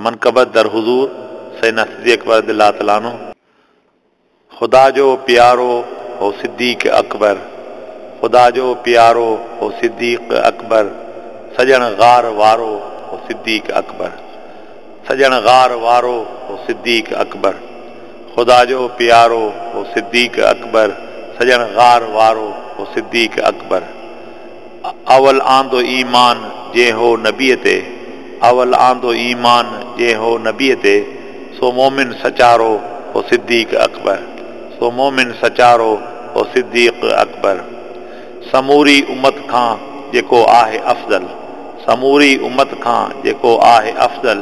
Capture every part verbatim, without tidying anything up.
منقبت در حضور سيدنا صديق اڪبر رضي الله تعالٰي عنه. خدا جو پيارو هو صديق اڪبر، خدا جو پيارو هو صديق اڪبر، سڄڻ غار وارو هو صديق اڪبر، سڄڻ غار وارو هو صديق اڪبر، خدا جو پيارو هو صديق اڪبر، سڄڻ غار وارو هو صديق اڪبر. اول آندو ايمان جنهن هو نبيء تي، اول آندو ايمان جنهن هو نبيء تي، سو مومن سچارو هو صديق اڪبر، سو مومن سچارو هو صديق اڪبر. سموري امت کان جيڪو آهي افضل، سموري امت کان جيڪو آهي افضل،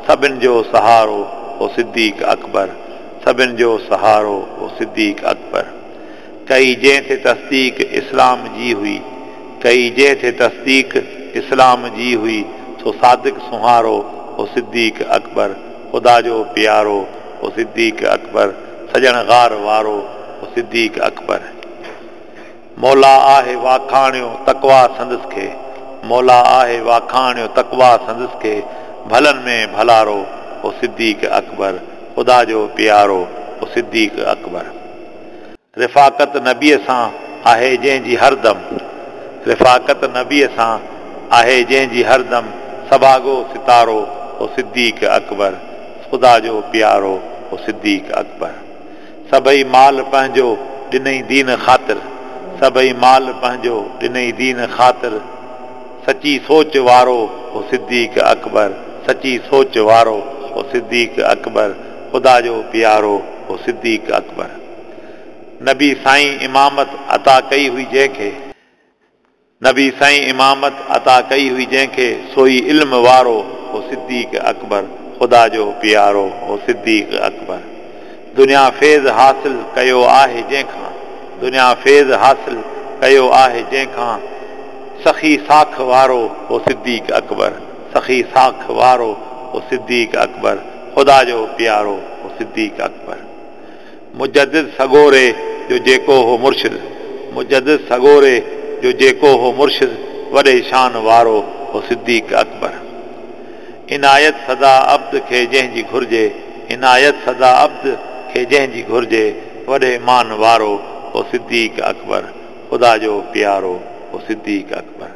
سڀن جو سهارو هو صديق اڪبر، سڀن جو سهارو هو صديق اڪبر. ڪئي جنهن تي تصديق اسلام جي هئي، ڪئي جنهن تي تصديق اسلام جي هئي، سو صادق سونهارو هو صديق اڪبر، خدا جو پيارو هو صديق اڪبر، سڄڻ غار وارو هو صديق اڪبر. مولا آهي واکاڻيو تقويٰ سندس کي، مولا آهي واکاڻيو تقويٰ سندس کي، ڀلن ۾ ڀلارو هو صديق اڪبر، خدا جو پيارو هو صديق اڪبر. رفاقت نبيء سان آهي جنهن جي هردم، رفاقت نبيء سان آهي جنهن جي هردم، سڀاڳو ستارو هو صديق اڪبر، خدا جو پيارو هو صديق اڪبر. سڀئي مال پنهنجو ڏنئي دين خاطر، سڀئي مال پنهنجو ڏنئي دين خاطر، سچي سوچ وارو هو صديق اڪبر، سچي سوچ وارو هو صديق اڪبر، خدا جو پيارو هو صديق اڪبر. نبي سائين امامت عطا ڪئي هئي جنهن کي، نبي سائين امامت عطا ڪئي هئي جنهن کي، سوئي علم وارو هو صديق اڪبر، خدا جو پيارو هو صديق اڪبر. دنيا فيض حاصل ڪيو آهي جنهن کان، دنيا فيض حاصل ڪيو آهي جنهن کان، سخي ساک وارو هو صديق اڪبر، سخي ساک وارو هو صديق اڪبر، خدا جو پيارو هو صديق اڪبر. مجدد سڳوري جو جيڪو هو مرشد، مجدد سڳوري جو جيڪو هو مرشد، وڏي شان وارو هو صديق اڪبر. عنايت سدا عبد کي جنهن جي گهرجي، عنايت سدا عبد کي جنهن جي گهرجي، وڏي مان وارو هو صديق اڪبر، خدا جو پيارو هو صديق اڪبر.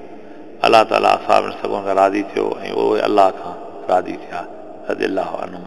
الله تعاليٰ اصحابن سڳورن کان راضي ٿيو ۽ اهي الله کان راضي ٿيا، رضي الله عنهم.